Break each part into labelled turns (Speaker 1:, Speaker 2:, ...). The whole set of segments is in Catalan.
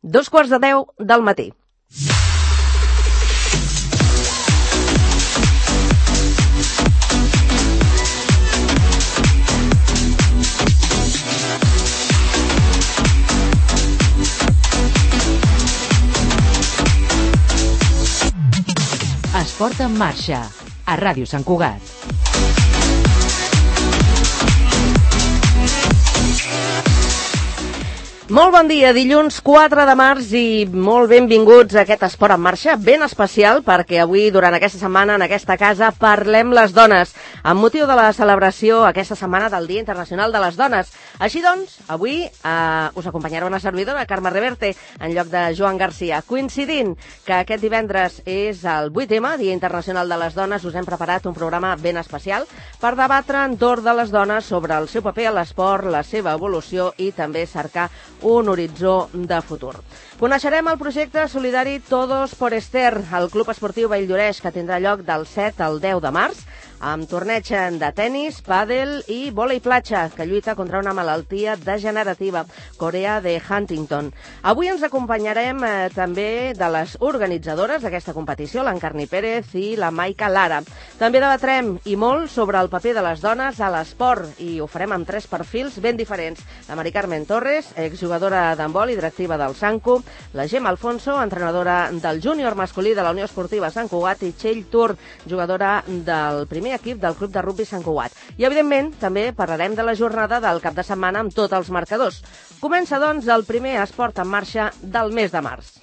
Speaker 1: 2:15 del matí.
Speaker 2: Esport en marxa, a Ràdio Sant Cugat.
Speaker 1: Molt bon dia, dilluns 4 de març i molt benvinguts a aquest Esport en marxa, ben especial perquè avui, durant aquesta setmana, en aquesta casa, parlem les dones, amb motiu de la celebració aquesta setmana del Dia Internacional de les Dones. Així doncs, avui us acompanyarà una servidora, Carme Reverte, en lloc de Joan Garcia. Coincidint que aquest divendres és el 8M, Dia Internacional de les Dones, us hem preparat un programa ben especial per debatre entorn de les dones sobre el seu paper a l'esport, la seva evolució i també cercar un horitzó de futur. Coneixerem el projecte solidari Todos por Esther, el club esportiu Valldoreix, que tindrà lloc del 7 al 10 de març, amb torneig de tennis, pàdel i vòlei platja, que lluita contra una malaltia degenerativa, Corea de Huntington. Avui ens acompanyarem també de les organitzadores d'aquesta competició, l'Encarni Pérez i la Maica Lara. També debatrem i molt sobre el paper de les dones a l'esport i ho farem amb 3 perfils ben diferents. La Mari Carmen Torres, exjugadora d'handbol i directiva del Sancu, la Gemma Alfonso, entrenadora del júnior masculí de la Unió Esportiva Sant Cugat, i Txell Tur, jugadora del primer equip del Club de Rugbi Sant Cugat. I, evidentment, també parlarem de la jornada del cap de setmana amb tots els marcadors. Comença, doncs, el primer Esport en marxa del mes de març.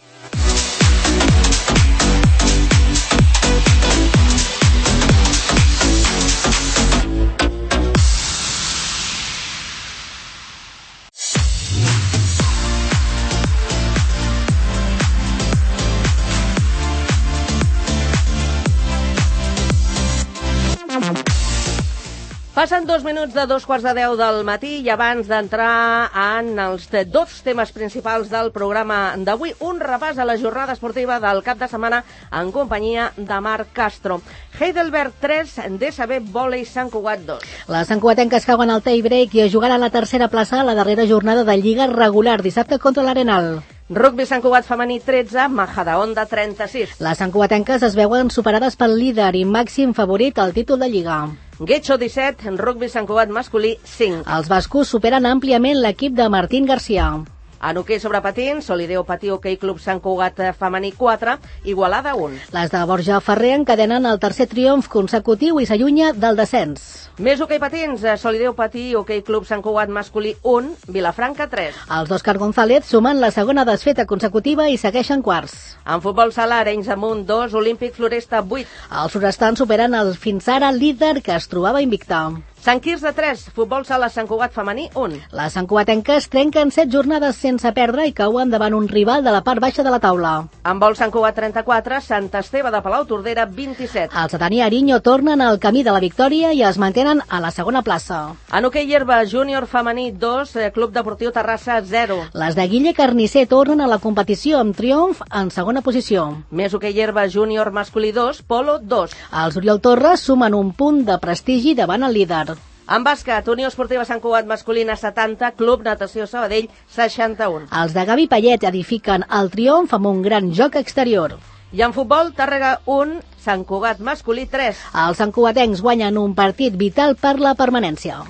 Speaker 1: Passen 2 minuts de 2:15 del matí i abans d'entrar en els 2 temes principals del programa d'avui, un repàs a la jornada esportiva del cap de setmana en companyia de Marc Castro. Heidelberg 3, DSB Vòlei Sant Cugat 2.
Speaker 3: Les santcugatenques cauen al tie break i es jugaran a la tercera plaça a la darrera jornada de Lliga regular dissabte contra l'Arenal.
Speaker 1: Rugbi Sant Cugat femení 13, Majadahonda 36.
Speaker 3: Les santcugatenques es veuen superades pel líder i màxim favorit al títol de Lliga.
Speaker 1: Getxo 17, Rugbi Sant Cugat masculí 5.
Speaker 3: Els bascos superen àmpliament l'equip de Martín Garcia.
Speaker 1: En hoquei sobre patins, Solideo Patí Hoquei Club Sant Cugat femení 4, Igualada 1.
Speaker 3: Les de Borja Ferrer encadenen el tercer triomf consecutiu i s'allunya del descens.
Speaker 1: Més hoquei patins, Solideo Patí Hoquei Club Sant Cugat masculí 1, Vilafranca 3.
Speaker 3: Els d'Òscar González sumen la segona desfeta consecutiva i segueixen quarts.
Speaker 1: En futbol sala, Arenys Amunt 2, Olímpic Floresta 8.
Speaker 3: Els forestans superen el fins ara líder que es trobava invicta.
Speaker 1: Sant Quirze 3, futbol sala Sant Cugat femení 1.
Speaker 3: Les santcugatenques trenquen 7 jornades sense perdre i cauen davant un rival de la part baixa de la taula.
Speaker 1: En vol Sant Cugat 34, Sant Esteve de Palautordera 27.
Speaker 3: Els de Dani Ariño tornen al camí de la victòria i es mantenen a la segona plaça.
Speaker 1: En hoquei herba, júnior femení 2, Club Deportiu Terrassa 0.
Speaker 3: Les de Guille Carnicer tornen a la competició amb triomf en segona posició.
Speaker 1: Més hoquei herba, júnior masculí 2, Polo 2.
Speaker 3: Els Oriol Torres sumen un punt de prestigi davant el líder.
Speaker 1: En bàsquet, Unió Esportiva Sant Cugat masculina 70, Club Natació Sabadell 61.
Speaker 3: Els de Gavi Payet edifiquen el triomf amb un gran joc exterior.
Speaker 1: I en futbol, Tàrrega 1, Sant Cugat masculí 3.
Speaker 3: Els santcugatencs guanyen un partit vital per la permanència.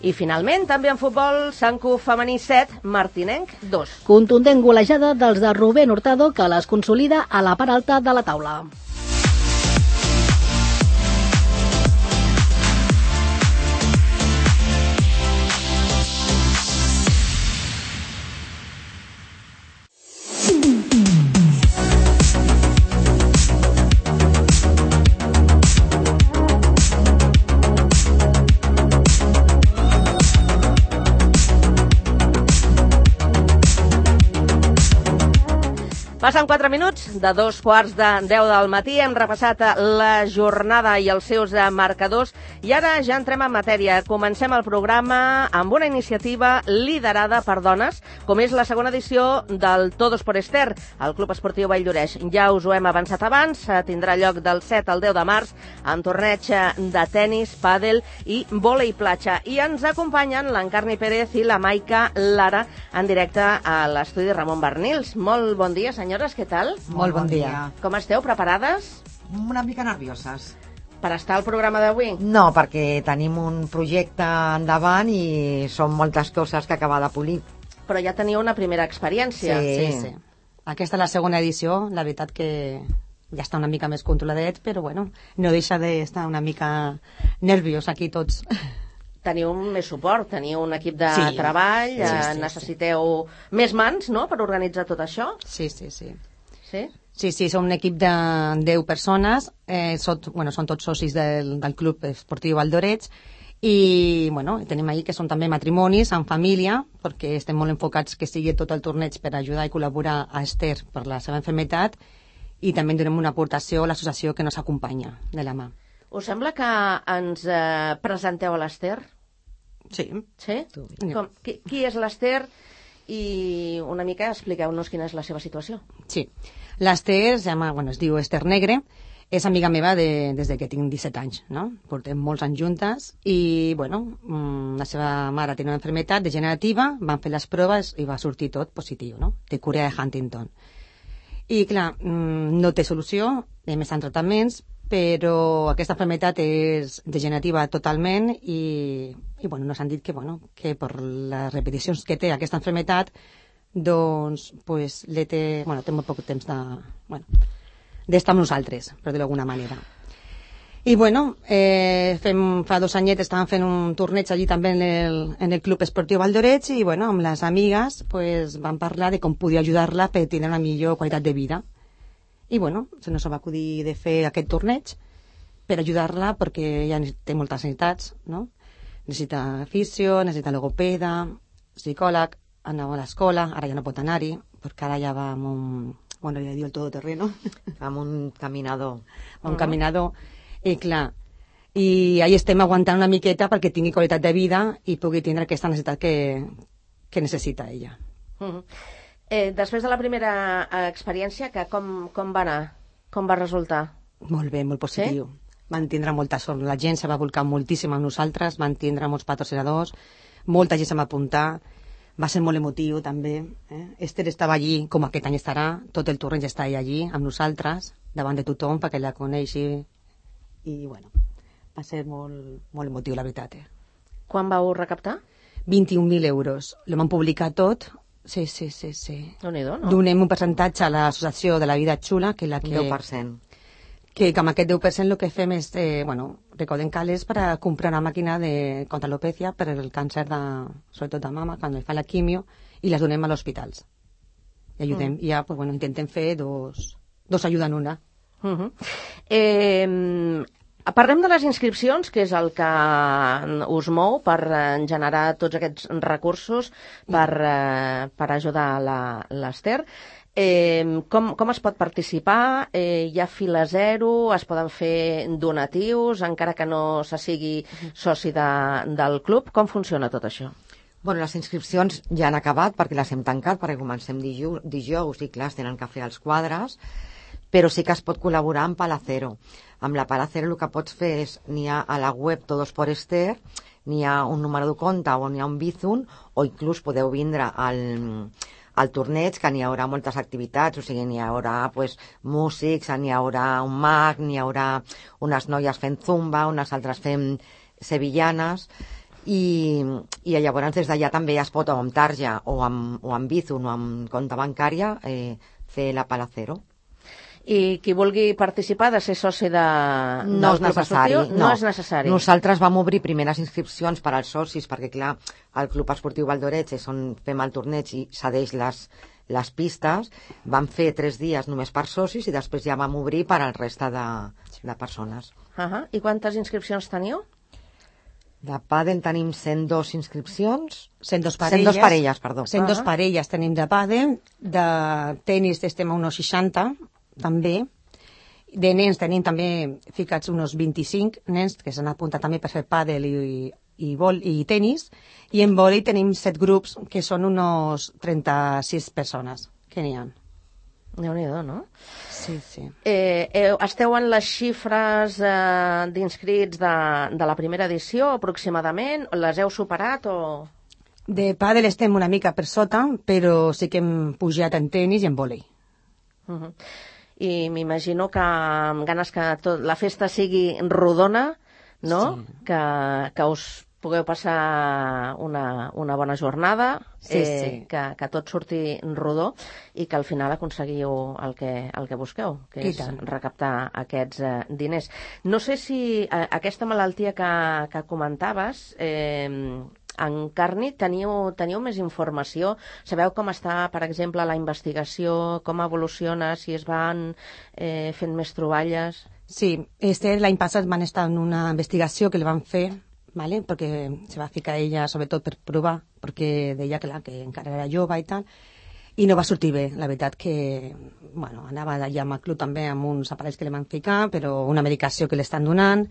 Speaker 1: I finalment, també en futbol, Sant Cu femení 7, Martinenc 2.
Speaker 3: Contundent golejada dels de Rubén Hurtado que les consolida a la part alta de la taula.
Speaker 1: Passen 4 minuts de 2:15 del matí. Hem repassat la jornada i els seus marcadors i ara ja entrem en matèria. Comencem el programa amb una iniciativa liderada per dones, com és la segona edició del Todos por Esther, al Club Esportiu Vall d'Oreix. Ja us ho hem avançat abans, tindrà lloc del 7 al 10 de març amb torneig de tennis, pàdel i vòlei platja. I ens acompanyen l'Encarni Pérez i la Maica Lara en directe a l'estudi Ramon Barnils. Molt bon dia, senyores, què tal?
Speaker 4: Molt bon dia.
Speaker 1: Com esteu, preparades?
Speaker 4: Una mica nervioses.
Speaker 1: Per estar al programa d'avui?
Speaker 4: No, perquè tenim un projecte endavant i són moltes coses que acabar de polir.
Speaker 1: Però ja teniu una primera experiència.
Speaker 5: Sí. Aquesta és la segona edició, la veritat que ja està una mica més controladet, però bueno, no deixa d'estar una mica nerviós aquí tots.
Speaker 1: Teniu més suport, teniu un equip de treball, necessiteu més mans, no?, per organitzar tot això?
Speaker 5: Sí.
Speaker 1: Sí?
Speaker 5: Sí, som un equip de 10 persones, són tots socis del Club Esportiu Vall d'Oreix, i bueno, tenim ahí que són també matrimonis en família, perquè estem molt enfocats que sigui tot el torneig per ajudar i col·laborar a Esther per la seva maternitat, i també donem una aportació a l'associació que nos acompanya de la mà.
Speaker 1: Us sembla que ens presenteu a l'Esther?
Speaker 5: Sí.
Speaker 1: Sí? Qui és l'Esther? I una mica expliqueu-nos quina és la seva situació.
Speaker 5: Sí. L'Esther es diu Esther Negre, és amiga meva des que tinc 17 anys, no? Portem molts anys juntes i, bueno, la seva mare tenia una malaltia degenerativa, van fer les proves i va sortir tot positiu, no? Té Corea de Huntington. I, clar, no té solució, més en tractaments, però aquesta malaltia és degenerativa totalment i bueno, nos han dit que per les repeticions que té aquesta malaltia, doncs, té molt poc temps d'estar amb nosaltres, per dir-ho d'alguna manera. I bueno, fa 2 anyets estàvem fent un torneig allí també en el Club Esportiu Vall d'Oreix i bueno, amb les amigues vam parlar de com podia ajudar-la per tenir una millor qualitat de vida. I bueno, se nos va acudir de fer aquest torneig per ajudar-la perquè ja té moltes necessitats, no? Necessita fisio, necessita logopeda, psicòleg, anava a l'escola, ara ja no pot anar-hi, perquè ara ja va amb un, ja diu el todoterreno.
Speaker 4: Amb un caminador.
Speaker 5: Un caminador, i clar, i ahí estem aguantant una miqueta perquè tingui qualitat de vida i pugui tindre aquesta necessitat que necessita ella.
Speaker 1: Després de la primera experiència, com va anar? Com va resultar?
Speaker 5: Molt bé, molt positiu. Sí? Van tindre molta sort. La gent se va volcar moltíssim amb nosaltres, van tindre molts patrocinadors, molta gent se va apuntar, va ser molt emotiu també. Esther estava allí, com aquest any estarà, tot el torneig està allí amb nosaltres, davant de tothom perquè la coneixi, i bueno, va ser molt, molt emotiu, la veritat.
Speaker 1: Quan vau recaptar?
Speaker 5: 21.000 euros. Lo van publicar tot. Sí.
Speaker 1: Déu-n'hi-do, no?
Speaker 5: Donem un percentatge a l'associació de la vida xula, que és la que...
Speaker 4: 10%.
Speaker 5: Que amb aquest 10% el que fem és, recaudem calés per a comprar una màquina de contra-alopècia per el càncer, sobretot de mama, quan li fa la quimio, i les donem a l'hospitals. I ajudem. I ja, intentem fer dos ajudes en una.
Speaker 1: Parlem de les inscripcions, que és el que us mou per generar tots aquests recursos per ajudar l'Esther. Com es pot participar? Hi ha fila zero? Es poden fer donatius, encara que no se sigui soci del club? Com funciona tot això?
Speaker 4: Bueno, les inscripcions ja han acabat perquè les hem tancat, perquè comencem dijous i clar, es tenen que fer els quadres, però sí que es pot col·laborar amb Palacero. Amb la Palacero el que pots fer és, n'hi ha a la web Todos por Esther, n'hi ha un número de compte o n'hi ha un Bizum, o inclús podeu vindre al torneig, que n'hi haurà moltes activitats, o sigui, n'hi haurà músics, n'hi haurà un mag, n'hi haurà unes noies fent zumba, unes altres fent sevillanes, i llavors des d'allà també es pot, o amb tarja, o amb Bizum, o amb compte bancària, fer la Palacero.
Speaker 1: I qui vulgui participar de ser soci
Speaker 4: no és necessari.
Speaker 1: No és necessari.
Speaker 4: Nosaltres vam obrir primeres inscripcions per als socis, perquè clar, el Club Esportiu Vall d'Oreix és on fem el torneig i cedeix les pistes. Vam fer 3 dies només per socis i després ja vam obrir per al resta de persones.
Speaker 1: I quantes inscripcions teniu?
Speaker 4: De pàdel tenim 102 inscripcions.
Speaker 5: 102 parelles.
Speaker 4: 102 parelles, perdó.
Speaker 5: 102 parelles tenim de pàdel. De tenis estem a unos 60, també. De nens tenim també ficats unos 25 nens que s'han apuntat també per fer pàdel i tenis. I en vòlei tenim 7 grups que són unos 36 persones que n'hi ha.
Speaker 1: Déu-n'hi-do, no?
Speaker 5: Sí, sí.
Speaker 1: Esteu en les xifres d'inscrits de la primera edició, aproximadament? Les heu superat o...?
Speaker 5: De pàdel estem una mica per sota, però sí que hem pujat en tenis i en vòlei.
Speaker 1: I m'imagino que amb ganes que la festa sigui rodona, no?
Speaker 5: Sí.
Speaker 1: Que us pugueu passar una bona jornada,
Speaker 5: sí.
Speaker 1: que tot surti rodó i que al final aconseguiu el que busqueu, que és recaptar aquests diners. No sé si aquesta malaltia que comentaves, en Carni, teniu més informació? Sabeu com està, per exemple, la investigació, com evoluciona, si es van fent més troballes?
Speaker 5: Sí, l'any passat van estar en una investigació que li van fer, ¿vale? Porque se va ficar ella sobretot per provar, perquè deia que encara era jove i tal, i no va sortir bé. La veritat que, bueno, anava allà amb el club també amb uns aparells que li van ficar, però una medicació que li estan donant,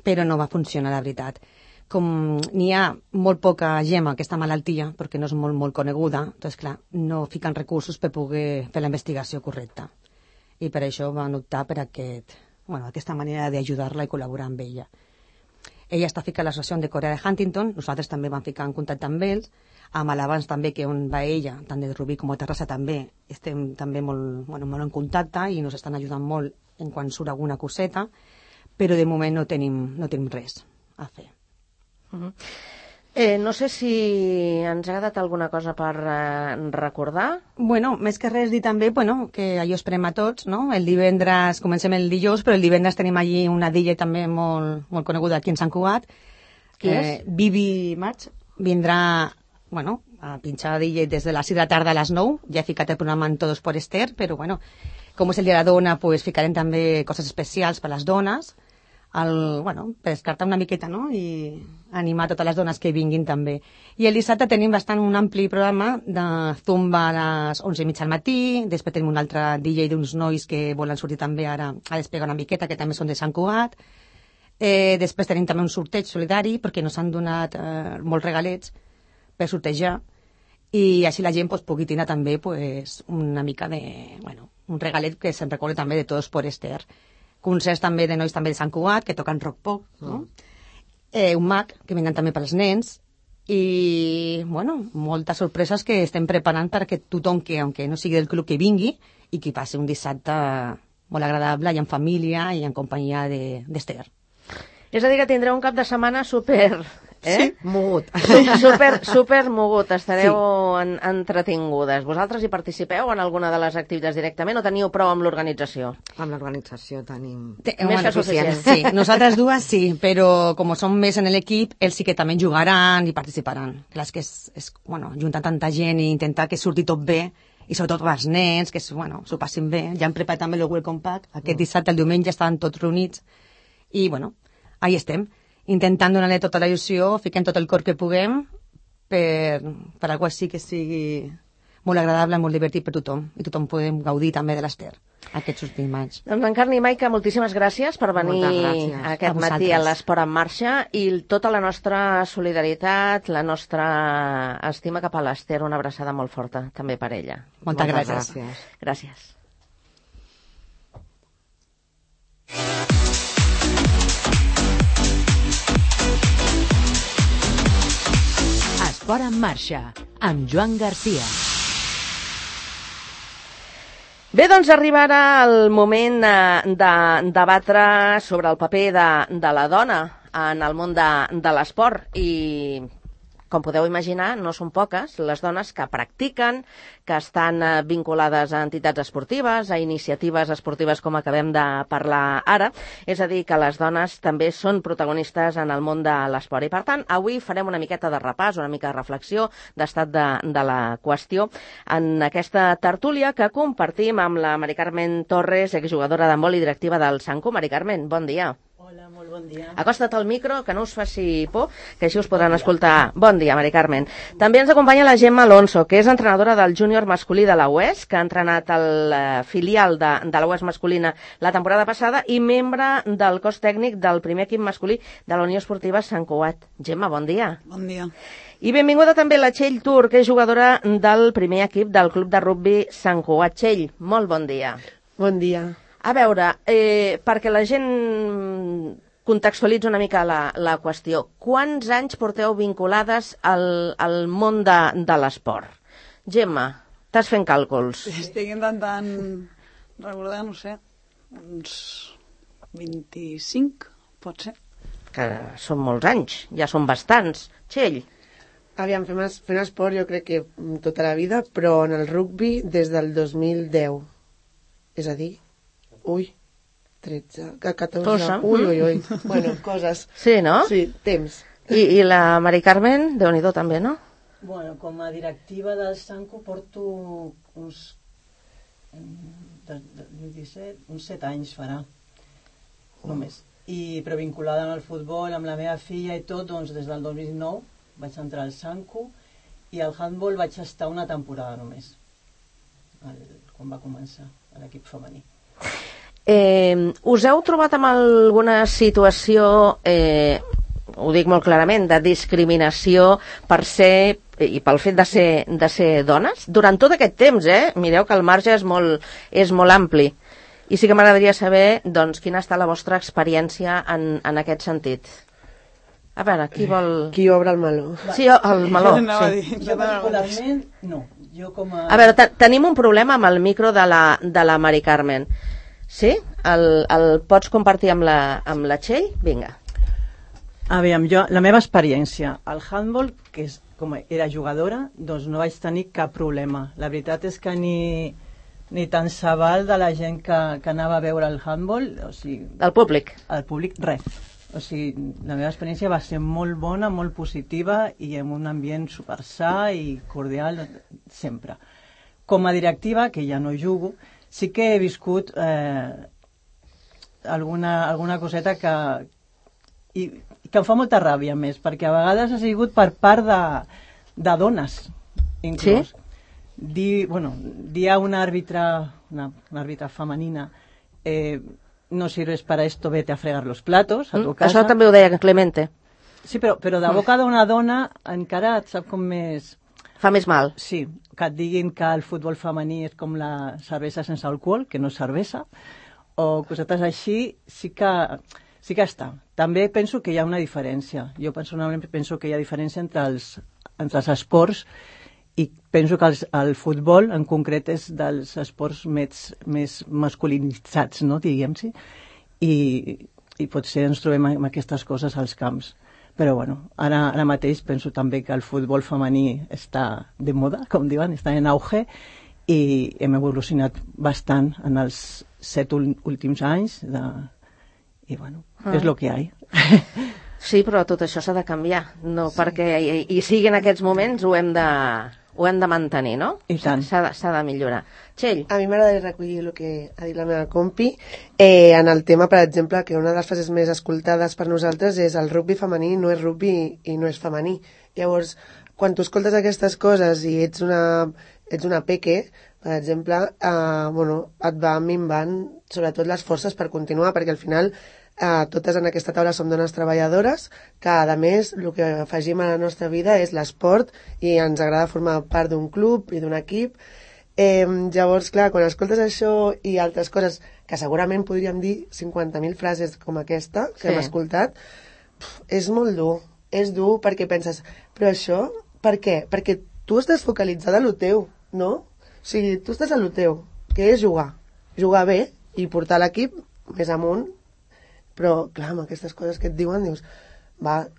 Speaker 5: però no va funcionar, la veritat. Com n'hi ha molt poca gent amb aquesta malaltia, perquè no és molt coneguda, doncs clar, no fiquen recursos per poder fer la investigació correcta. I per això van optar per aquesta manera d'ajudar-la i col·laborar amb ella. Ella està ficada a l'associació de Corea de Huntington, nosaltres també vam ficar en contacte amb ells, amb l'abans també que on va ella, tant de Rubí com a Terrassa també, estem també molt en contacte i ens estan ajudant molt en quan surt alguna coseta, però de moment no tenim res a fer.
Speaker 1: No sé si ens ha quedat alguna cosa per recordar.
Speaker 5: Bueno, més que res dir també que allò esperem a tots, no? El divendres, comencem el dijous, però el divendres tenim allí una DJ també molt coneguda aquí en Sant Cugat.
Speaker 1: Qui és?
Speaker 5: Vivi March. Vindrà, a pinxar DJ des de les 6 de la tarda a les 9. Ja he ficat el programa en Todos por Esther, però com és el dia de la dona, pues ficarem també coses especials per a les dones. Per descartar una miqueta, no? I animar totes les dones que vinguin també. I el dissabte tenim un ampli programa de zumba a les 11:30 al matí, després tenim un altre DJ d'uns nois que volen sortir també ara a despegar una miqueta, que també són de Sant Cugat. Després tenim també un sorteig solidari, perquè ens han donat molts regalets per sortejar, i així la gent pugui tenir també una mica de, un regalet que se'n recorda també de Todos por Esther. Concerts també de nois també de Sant Cugat, que toquen rock pop, no? Un mag, que vindran també pels nens, i, moltes sorpreses que estem preparant perquè tothom que, aunque no sigui del club, que vingui i que passi un dissabte molt agradable i en família i en companyia d'Esther.
Speaker 1: És a dir, que tindreu un cap de setmana super...
Speaker 4: Sí, mogut.
Speaker 1: Super mogut, estareu entretingudes. Vosaltres hi participeu en alguna de les activitats directament o teniu prou amb l'organització?
Speaker 4: Amb l'organització tenim...
Speaker 1: Més que suficient.
Speaker 5: Sí, nosaltres dues sí, però com som més en l'equip, ells sí que també jugaran i participaran. Clar, és que és juntar tanta gent i intentar que surti tot bé, i sobretot els nens, que s'ho passin bé. Ja hem preparat també el Welcome Pack. Aquest dissabte, el diumenge, estaven tots reunits. I, ahí estem, intentant donar-li tota la il·lusió, fiquem tot el cor que puguem per algo així que sigui molt agradable, molt divertit per tothom, i tothom podem gaudir també de l'Esther aquests últims anys.
Speaker 1: Doncs en Carni i Maica, moltíssimes gràcies per venir aquest matí a l'Esport en Marxa, i tota la nostra solidaritat, la nostra estima cap a l'Esther, una abraçada molt forta també per ella.
Speaker 5: Moltes gràcies.
Speaker 1: Gràcies.
Speaker 2: Esport en Marxa, amb Joan Garcia.
Speaker 1: Bé, doncs arribarà el moment de debatre sobre el paper de la dona en el món de l'esport, i com podeu imaginar, no són poques les dones que practiquen, que estan vinculades a entitats esportives, a iniciatives esportives com acabem de parlar ara. És a dir, que les dones també són protagonistes en el món de l'esport. I per tant, avui farem una miqueta de repàs, una mica de reflexió d'estat de la qüestió en aquesta tertúlia que compartim amb la Mari Carmen Torres, exjugadora d'handbol i directiva del Sanku. Mari Carmen, bon dia.
Speaker 6: Hola, molt bon dia.
Speaker 1: Acosta't al micro, que no us faci por, que així us podran escoltar. Bon dia, Mari Carmen. També ens acompanya la Gemma Alonso, que és entrenadora del júnior masculí de la UES, que ha entrenat el filial de la UES masculina la temporada passada i membre del cos tècnic del primer equip masculí de la Unió Esportiva Sant Cugat. Gemma, bon dia.
Speaker 6: Bon dia.
Speaker 1: I benvinguda també la Txell Tur, que és jugadora del primer equip del club de rugbi Sant Cugat. Txell, molt bon dia.
Speaker 7: Bon dia.
Speaker 1: A veure, perquè la gent contextualitza una mica la qüestió. Quants anys porteu vinculades al món de l'esport? Gemma, estàs fent càlculs.
Speaker 6: Estic intentant recordar, no sé, uns 25, pot ser.
Speaker 1: Que són molts anys, ja són bastants. Txell.
Speaker 7: Aviam, fent esport jo crec que tota la vida, però en el rugbi des del 2010. És a dir, 13, 14, ui. Bueno, coses.
Speaker 1: Sí, no?
Speaker 7: Sí, temps.
Speaker 1: I la Mari Carmen, Déu-n'hi-do també, no?
Speaker 8: Bueno, com a directiva del Sanco porto uns 7 anys farà, només. Però vinculada amb el futbol, amb la meva filla i tot, doncs des del 2009 vaig entrar al Sanco i al handball vaig estar una temporada només, quan va començar l'equip femení.
Speaker 1: Us heu trobat amb alguna situació, ho dic molt clarament, de discriminació per ser, i pel fet de ser dones? Durant tot aquest temps, mireu que el marge és molt ampli. I sí que m'agradaria saber, doncs, quina ha estat la vostra experiència en aquest sentit. A veure, qui vol...
Speaker 7: Qui obre el meló?
Speaker 1: Sí, el meló.
Speaker 8: Jo particularment, no. A
Speaker 1: veure, tenim un problema amb el micro de la Mari Carmen. Sí? El pots compartir amb la Txell? Vinga.
Speaker 8: Aviam, la meva experiència al handball, que com era jugadora, doncs no vaig tenir cap problema. La veritat és que ni tant se val de la gent que anava a veure el handball, o sigui...
Speaker 1: El públic?
Speaker 8: El públic, res. O sigui, la meva experiència va ser molt bona, molt positiva i en un ambient super sa i cordial sempre. Com a directiva, que ja no jugo, sí que he viscut alguna coseta que em fa molta ràbia més, perquè a vegades ha sigut per part de dones, inclús.
Speaker 1: Sí?
Speaker 8: Dir a una àrbitra femenina no sirves para esto, vete a fregar los platos a tu casa.
Speaker 1: Això també ho deia Clemente.
Speaker 8: Sí, però de boca d'una dona encara et sap com més...
Speaker 1: Fa més mal.
Speaker 8: Sí, que et diguin que el futbol femení és com la cervesa sense alcohol, que no és cervesa, o cosetes així, sí que està. També penso que hi ha una diferència. Jo personalment penso que hi ha diferència entre els esports i penso que el futbol en concret és dels esports més masculinitzats, no, diguem-hi, i potser ens trobem amb aquestes coses als camps. Però bueno, ara mateix penso també que el futbol femení està de moda, com diuen, està en auge, i hem evolucionat bastant en els 7 últims anys, i bueno, és el que hi ha.
Speaker 1: Sí, però tot això s'ha de canviar, no perquè hi sigui en aquests moments ho hem de mantenir, no?
Speaker 8: I tant.
Speaker 1: S'ha de millorar. Txell.
Speaker 7: A mi m'agradaria recollir el que ha dit la meva compi en el tema, per exemple, que una de les frases més escoltades per nosaltres és el rugbi femení no és rugbi i no és femení. Llavors, quan tu escoltes aquestes coses i ets una peque, per exemple, et va minvant sobretot les forces per continuar, perquè al final totes en aquesta taula som dones treballadores que, a més, el que afegim a la nostra vida és l'esport i ens agrada formar part d'un club i d'un equip. Llavors, clar, quan escoltes això i altres coses que segurament podríem dir 50.000 frases com aquesta que hem escoltat, és molt dur. És dur perquè penses, però això, per què? Perquè tu estàs focalitzada en el teu, no? O sigui, tu estàs en el teu, que és jugar bé i portar l'equip més amunt. Però, clar, amb aquestes coses que et diuen, dius, va,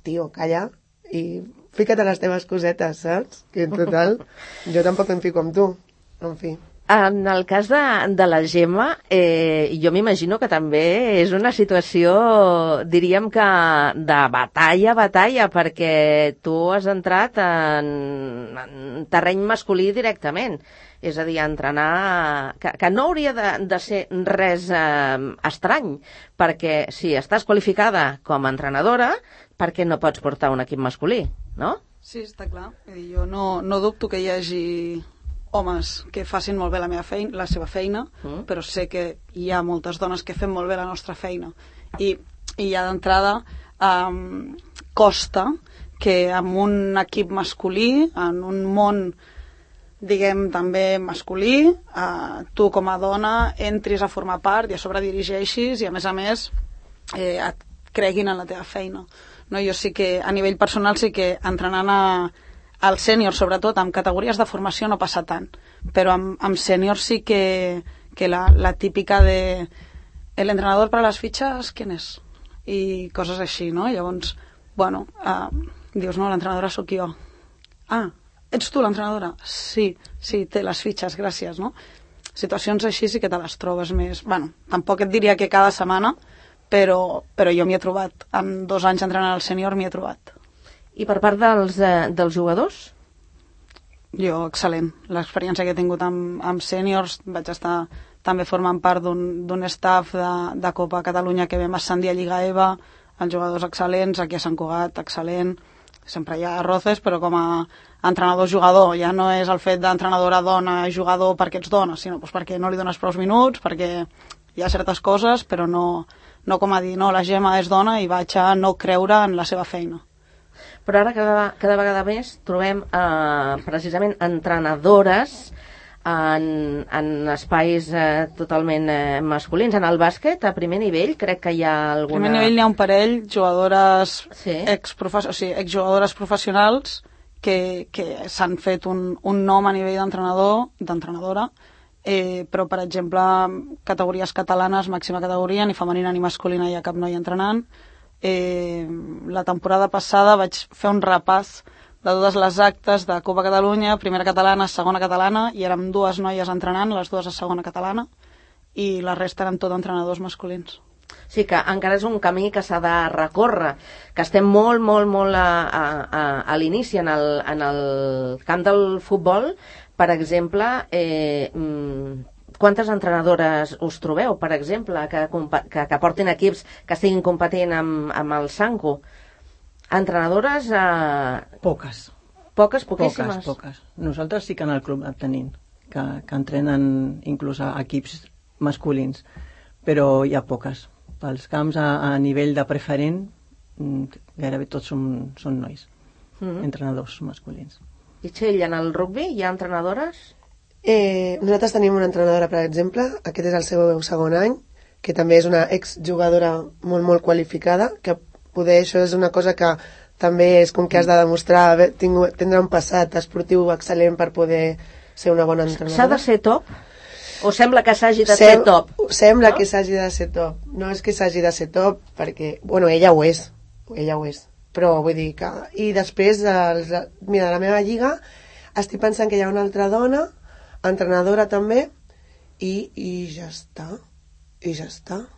Speaker 7: tio, calla i fica't a les teves cosetes, saps? Que en total, jo tampoc em fico amb tu. En fi.
Speaker 1: En el cas de la Gemma, jo m'imagino que també és una situació, diríem que de batalla, perquè tu has entrat en terreny masculí directament. És a dir, entrenar... Que no hauria de ser res estrany, perquè si estàs qualificada com a entrenadora, per què no pots portar un equip masculí, no?
Speaker 6: Sí, està clar. Jo no dubto que hi hagi homes que facin molt bé la seva feina, però sé que hi ha moltes dones que fem molt bé la nostra feina. I ja d'entrada costa que amb un equip masculí, en un món, diguem, també masculí, tu com a dona entris a formar part i a sobre dirigeixis i a més et creguin en la teva feina. No, jo sí que, a nivell personal, sí que entrenant al sènior, sobretot, amb categories de formació no passa tant, però amb sènior sí que la típica de el entrenador per a les fitxes, ¿quién és? I coses així, no? Llavors, bueno, dius, no, l'entrenadora sóc jo. Ah, ets tu l'entrenadora? Sí, té les fitxes, gràcies, no? Situacions així sí que te les trobes més... Bueno, tampoc et diria que cada setmana, però jo m'hi he trobat. En 2 anys entrenant al sènior m'hi he trobat.
Speaker 1: I per part dels jugadors?
Speaker 6: Jo, excel·lent. L'experiència que he tingut amb sèniors, vaig estar també formant part d'un staff de Copa Catalunya que vam ascendir a Lliga EVA, els jugadors excel·lents, aquí a Sant Cugat, excel·lent. Sempre hi ha roces, però com a entrenador-jugador, ja no és el fet d'entrenadora dona-jugador perquè ets dona, sinó perquè no li dones prou minuts, perquè hi ha certes coses, però no com a dir, no, la Gemma és dona i vaig a no creure en la seva feina.
Speaker 1: Però ara cada vegada més trobem precisament entrenadores en espais totalment masculins. En el bàsquet, a primer nivell, crec que hi ha alguna...
Speaker 6: A primer nivell n'hi ha un parell, jugadores exjugadores professionals que s'han fet un nom a nivell d'entrenadora, però, per exemple, categories catalanes, màxima categoria, ni femenina ni masculina hi ha cap noia entrenant. La temporada passada vaig fer un repàs de totes les actes de Copa Catalunya, primera catalana, segona catalana, i érem 2 noies entrenant, les 2 a segona catalana, i la resta eren tot entrenadors masculins.
Speaker 1: Sí, que encara és un camí que s'ha de recórrer, que estem molt a l'inici en el camp del futbol. Per exemple, quantes entrenadores us trobeu, per exemple, que portin equips que estiguin competint amb el Sanco? Entrenadores...
Speaker 8: Poques.
Speaker 1: Poquíssimes?
Speaker 8: Poques. Nosaltres sí que en el club en tenim, que entrenen inclús a equips masculins, però hi ha poques. Pels camps a nivell de preferent, gairebé tots són nois, entrenadors masculins.
Speaker 1: I Txell, en el rugby hi ha entrenadores?
Speaker 7: Nosaltres tenim una entrenadora, per exemple, aquest és el seu 2è any, que també és una exjugadora molt qualificada, que poder això és una cosa que també és com que has de demostrar tindre un passat esportiu excel·lent per poder ser una bona entrenadora.
Speaker 1: S'ha de ser top? O sembla que s'hagi de ser top?
Speaker 7: Sembla que s'hagi de ser top. No és que s'hagi de ser top, perquè, bueno, ella ho és. Però vull dir que... I després, mira, la meva lliga, estic pensant que hi ha una altra dona, entrenadora també, i ja està.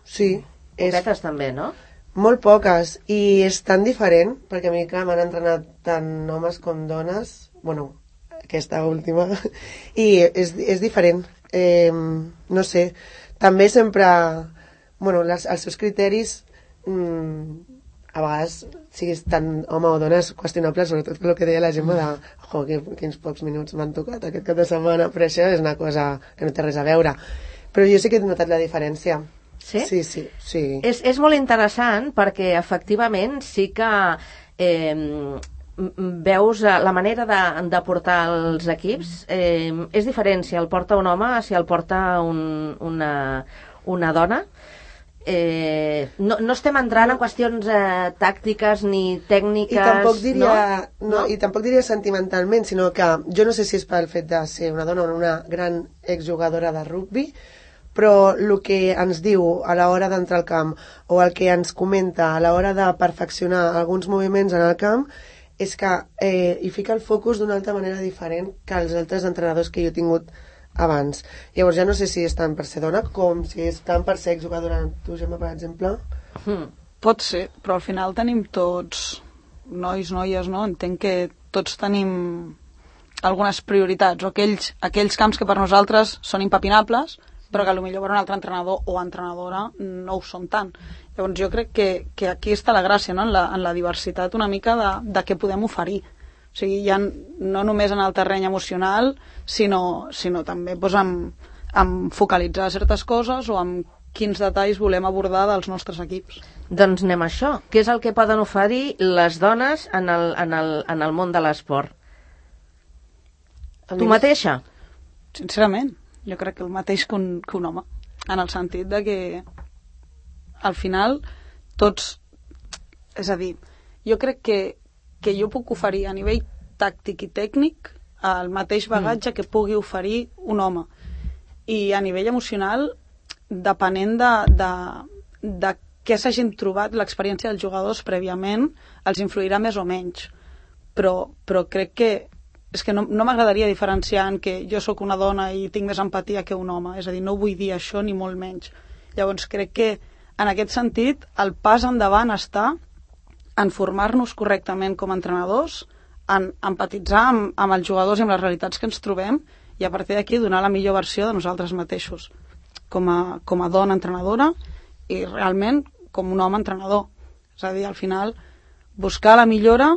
Speaker 7: Sí.
Speaker 1: Poquetes també, no?
Speaker 7: Molt poques, i és tan diferent, perquè a mi, clar, m'han entrenat tant homes com dones, bueno, aquesta última, i és diferent. No sé, també sempre, bueno, els seus criteris, a vegades, siguis tant home o dona, és qüestionable, sobretot el que deia la Gemma de quins pocs minuts m'han tocat aquest cap de setmana, però això és una cosa que no té res a veure. Però jo sí que he notat la diferència.
Speaker 1: Sí?
Speaker 7: Sí.
Speaker 1: És molt interessant perquè efectivament sí que veus la manera de portar els equips és diferent si el porta un home, si el porta una dona. No estem entrant en qüestions tàctiques ni tècniques.
Speaker 7: I tampoc diria sentimentalment, sinó que jo no sé si és pel fet de ser una dona o una gran exjugadora de rugbi, però el que ens diu a l'hora d'entrar al camp o el que ens comenta a l'hora de perfeccionar alguns moviments en el camp és que hi fica el focus d'una altra manera diferent que els altres entrenadors que jo he tingut abans. Llavors ja no sé si és tant per ser dona com si és tant per ser exjugadora. Tu, Gemma, per exemple?
Speaker 6: Pot ser, però al final tenim tots, nois, noies, no? Entenc que tots tenim algunes prioritats, o aquells camps que per nosaltres són impepinables, però que potser per un altre entrenador o entrenadora no ho són tant. Llavors jo crec que aquí està la gràcia, no? En la diversitat una mica de què podem oferir. O sigui, ja no només en el terreny emocional, sinó també doncs, en focalitzar certes coses o en quins detalls volem abordar dels nostres equips.
Speaker 1: Doncs anem a això. Què és el que poden oferir les dones en el món de l'esport? Tu mateixa?
Speaker 6: Sincerament, jo crec que el mateix que un home, en el sentit de que al final tots... És a dir, jo crec que jo puc oferir a nivell tàctic i tècnic el mateix bagatge que pugui oferir un home. I a nivell emocional, depenent de què s'hagin trobat l'experiència dels jugadors prèviament, els influirà més o menys. Però crec que és que no m'agradaria diferenciar en que jo sóc una dona i tinc més empatia que un home. És a dir, no vull dir això ni molt menys. Llavors crec que en aquest sentit el pas endavant està en formar-nos correctament com a entrenadors, en empatitzar amb els jugadors i amb les realitats que ens trobem i a partir d'aquí donar la millor versió de nosaltres mateixos com a dona entrenadora i realment com un home entrenador. És a dir, al final buscar la millora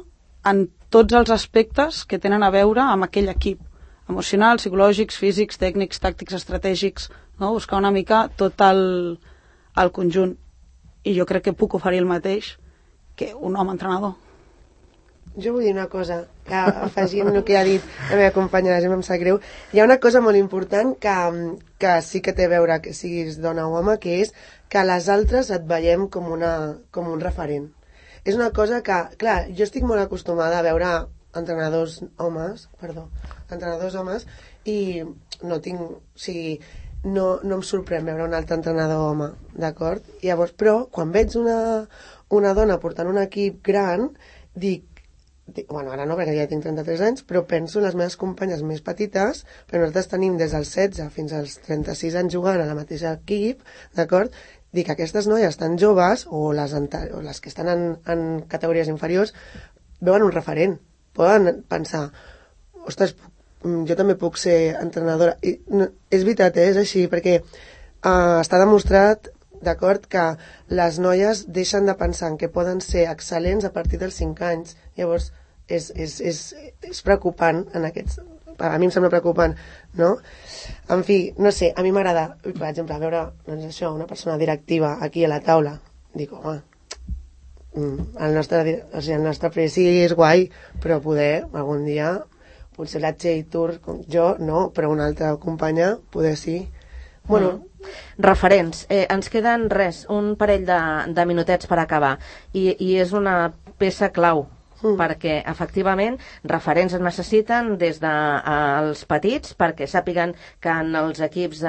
Speaker 6: en tots els aspectes que tenen a veure amb aquell equip, emocionals, psicològics, físics, tècnics, tàctics, estratègics, no? Buscar una mica tot el conjunt. I jo crec que puc oferir el mateix que un home entrenador.
Speaker 7: Jo vull dir una cosa, que afegint el que ha dit la meva companya, la Gemma, em sap greu. Hi ha una cosa molt important que sí que té a veure que siguis dona o home, que és que les altres et veiem com un referent. És una cosa que, clar, jo estic molt acostumada a veure entrenadors homes i no tinc, o sigui, no em sorprèn veure un altre entrenador home, d'acord? Llavors, però, quan veig una dona portant un equip gran, dic, bueno, ara no, perquè ja tinc 33 anys, però penso en les meves companyes més petites, però nosaltres tenim des dels 16 fins als 36 anys jugant a la mateixa equip, d'acord? Dic, aquestes noies tan joves, o les que estan en categories inferiors, veuen un referent. Poden pensar, ostres, jo també puc ser entrenadora. I, no, és veritat, és així, perquè està demostrat, d'acord, que les noies deixen de pensar en que poden ser excel·lents a partir dels 5 anys. Llavors, és preocupant en aquests... A mi em sembla preocupant, no? En fi, no sé, a mi m'agrada, per exemple, veure doncs això, una persona directiva aquí a la taula. Dic, home, el nostre preci és guai, però poder, algun dia, potser la Txell Tour, jo no, però una altra companya, poder sí. Bueno...
Speaker 1: Referents. Ens queden un parell de minutets per acabar. I és una peça clau, perquè efectivament referents es necessiten des dels petits perquè sàpiguen que en els equips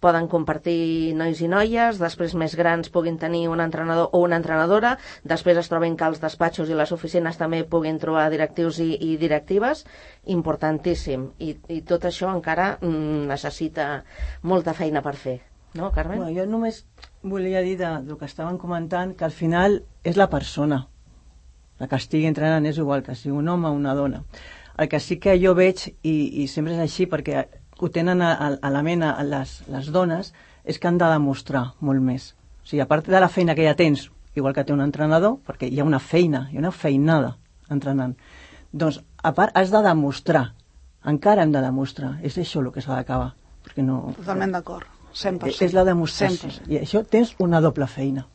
Speaker 1: poden compartir nois i noies, després més grans puguin tenir un entrenador o una entrenadora, després es trobin que els despatxos i les oficines també puguin trobar directius i directives, importantíssim, i tot això encara necessita molta feina per fer, no, Carmen?
Speaker 8: Bueno, jo només volia dir del que estaven comentant que al final és la persona. La que estigui entrenant és igual que sigui un home o una dona. El que sí que jo veig, i sempre és així perquè ho tenen a la ment les dones, és que han de demostrar molt més. O sigui, a part de la feina que ja tens, igual que té un entrenador, perquè hi ha una feina, hi ha una feinada entrenant, doncs a part has de demostrar, encara hem de demostrar, és això el que s'ha d'acabar. No...
Speaker 6: Totalment d'acord, 100%.
Speaker 8: És la demostració, 100%. I això tens una doble feina.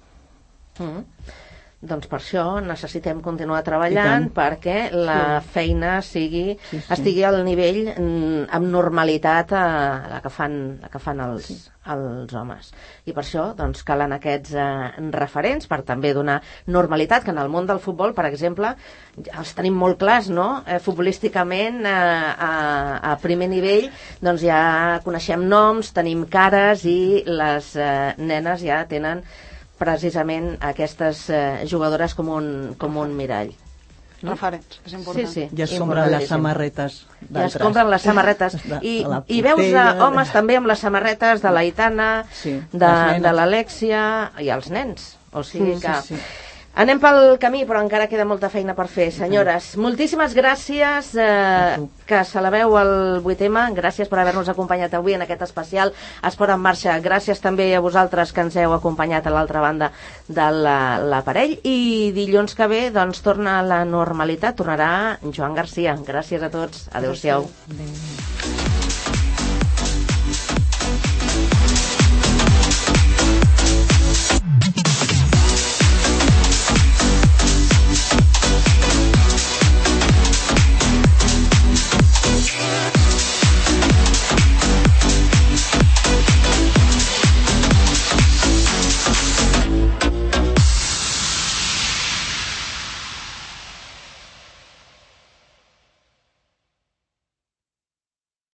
Speaker 1: Doncs per això necessitem continuar treballant perquè la feina estigui al nivell amb normalitat la que fan els homes. I per això doncs, calen aquests referents per també donar normalitat, que en el món del futbol, per exemple, els tenim molt clars, no? Futbolísticament, a primer nivell, doncs ja coneixem noms, tenim cares i les nenes ja tenen precisament aquestes jugadores com un mirall.
Speaker 6: referents, és important.
Speaker 1: Sí,
Speaker 8: Ja es compren les samarretes d'altres.
Speaker 1: Ja es compren les samarretes. I veus homes també amb les samarretes de l'Aitana, de l'Alexia i els nens. O sigui que... Anem pel camí, però encara queda molta feina per fer. Senyores, moltíssimes gràcies que celebreu el 8M. Gràcies per haver-nos acompanyat avui en aquest especial Esport en Marxa. Gràcies també a vosaltres que ens heu acompanyat a l'altra banda de l'aparell. I dilluns que ve doncs, torna a la normalitat. Tornarà Joan Garcia. Gràcies a tots. Adéu-siau.
Speaker 5: Adéu.